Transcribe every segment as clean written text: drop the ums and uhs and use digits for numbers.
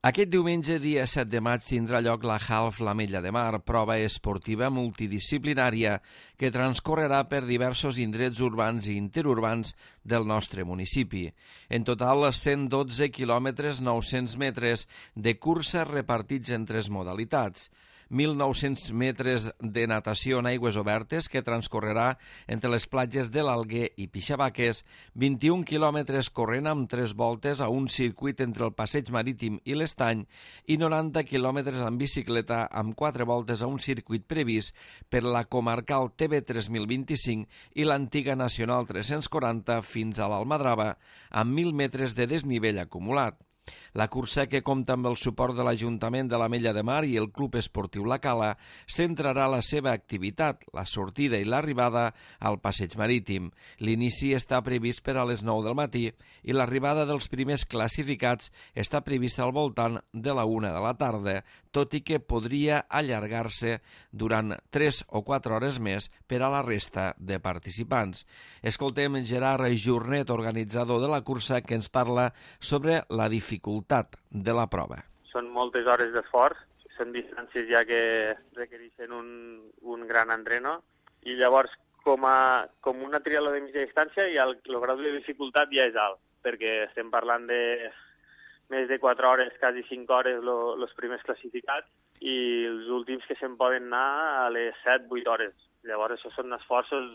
Aquest diumenge, dia 7 de maig, tindrà lloc la Half l'Ametlla de Mar, prova esportiva multidisciplinària que transcorrerà per diversos indrets urbans i interurbans del nostre municipi. En total, 112 quilòmetres 900 metres de cursa repartits en 3 modalitats. 1.900 metres de natació en aigües obertes que transcorrerà entre les platges de l'Alguer i Pixabaques, 21 quilòmetres corrent amb 3 voltes a un circuit entre el Passeig Marítim i l'Estany i 90 quilòmetres en bicicleta amb 4 voltes a un circuit previst per la comarcal TB 3025 i l'antiga Nacional 340 fins a l'Almadrava, amb 1.000 metres de desnivell acumulat. La cursa, que compta amb el suport de l'Ajuntament de l'Ametlla de Mar i el Club Esportiu La Cala, centrarà la seva activitat, la sortida i l'arribada al Passeig Marítim. L'inici està previst per a les 9 del matí i l'arribada dels primers classificats està prevista al voltant de la 1 de la tarda, tot i que podria allargar-se durant 3 o 4 hores més per a la resta de participants. Escoltem Gerard Jornet, organitzador de la cursa, que ens parla sobre la dificultat de la prova. Són moltes hores d'esforç, són distàncies ja que requereixen un gran entreno i llavors com una triatló de mitja distància i el grau de dificultat ja és alt, perquè estem parlant de més de 4 hores, quasi 5 hores els primers classificats i els últims que se'n poden anar a les 7-8 hores. Llavors això són esforços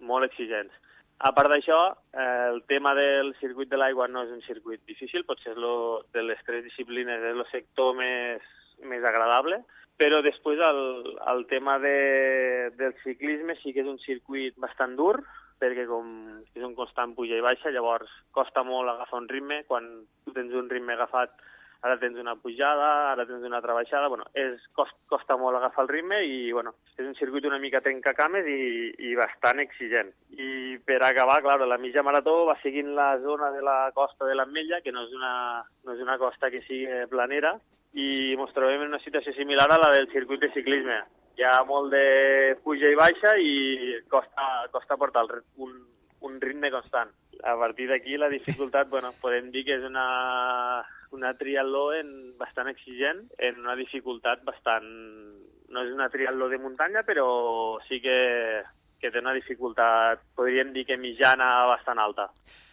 molt exigents. A part d'això, el tema del circuit de l'aigua no és un circuit difícil, potser de les 3 disciplines és el sector més agradable, però després el tema del ciclisme sí que és un circuit bastant dur, perquè com és un constant puja i baixa, llavors costa molt agafar un ritme. Quan tu tens un ritme agafat, ara tens una pujada, ara tens una altra baixada, costa molt agafar el ritme i és un circuit una mica trencacames i bastant exigent. I per acabar, clar, la mitja marató va seguint la zona de la costa de l'Ametlla, que no és una costa que sigui planera, i ens trobem en una situació similar a la del circuit de ciclisme. Hi ha molt de puja i baixa i costa portar un ritme constant. A partir d'aquí la dificultat, podem dir que és una triatló bastant exigent, en una dificultat bastant... No és una triatló de muntanya, però sí que té una dificultat, podríem dir que mitjana, bastant alta.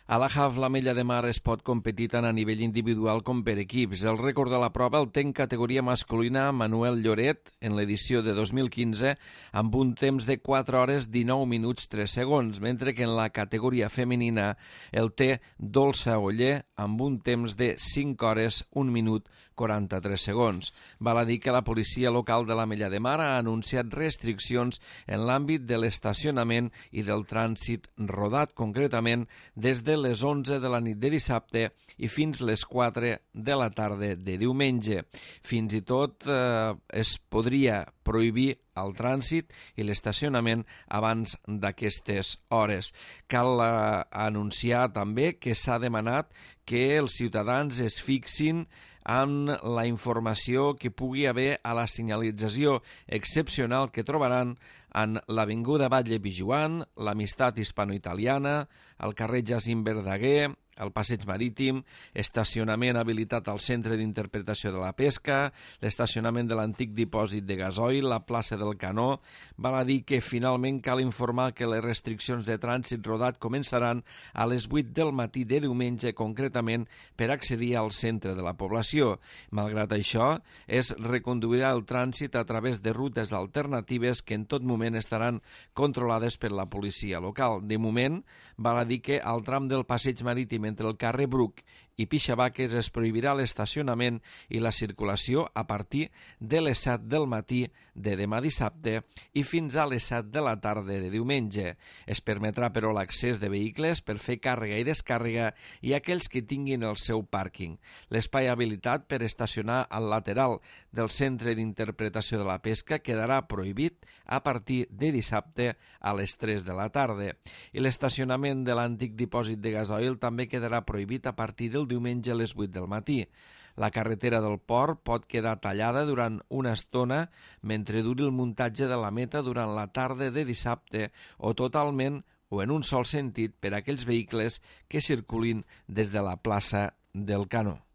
A la Half l'Ametlla de Mar es pot competir tant a nivell individual com per equips. El rècord de la prova el té en categoria masculina Manuel Lloret en l'edició de 2015 amb un temps de 4 hores 19 minuts 3 segons, mentre que en la categoria femenina el té Dolça Oller amb un temps de 5 hores 1 minut 43 segons. Val a dir que la policia local de l'Ametlla de Mar ha anunciat restriccions en l'àmbit de l'estacionament i del trànsit rodat, concretament des de les 11 de la nit de dissabte i fins les 4 de la tarda de diumenge. Fins i tot es podria prohibir el trànsit i l'estacionament abans d'aquestes hores. Cal anunciar també que s'ha demanat que els ciutadans es fixin en la informació que pugui haver a la senyalització excepcional que trobaran en l'Avinguda Batlle Pijuan, l'Amistat Hispano-Italiana, el carrer Jacint Verdaguer, el Passeig Marítim, estacionament habilitat al Centre d'Interpretació de la Pesca, l'estacionament de l'antic dipòsit de gasoil, la plaça del Canó. Val a dir que finalment cal informar que les restriccions de trànsit rodat començaran a les 8 del matí de diumenge, concretament per accedir al centre de la població. Malgrat això, es reconduirà el trànsit a través de rutes alternatives que en tot moment estaran controlades per la policia local. De moment, val a dir que al tram del Passeig Marítim entre el carrer Bruc i Pixabaques es prohibirà l'estacionament i la circulació a partir de les 7 del matí de demà dissabte i fins a les 7 de la tarda de diumenge. Es permetrà, però, l'accés de vehicles per fer càrrega i descàrrega i aquells que tinguin el seu pàrquing. L'espai habilitat per estacionar al lateral del Centre d'Interpretació de la Pesca quedarà prohibit a partir de dissabte a les 3 de la tarda. I l'estacionament de l'antic dipòsit de gasoil també quedarà prohibit a partir del diumenge a les 8 del matí. La carretera del port pot quedar tallada durant una estona mentre duri el muntatge de la meta durant la tarda de dissabte o totalment o en un sol sentit per a aquells vehicles que circulin des de la plaça del Canó.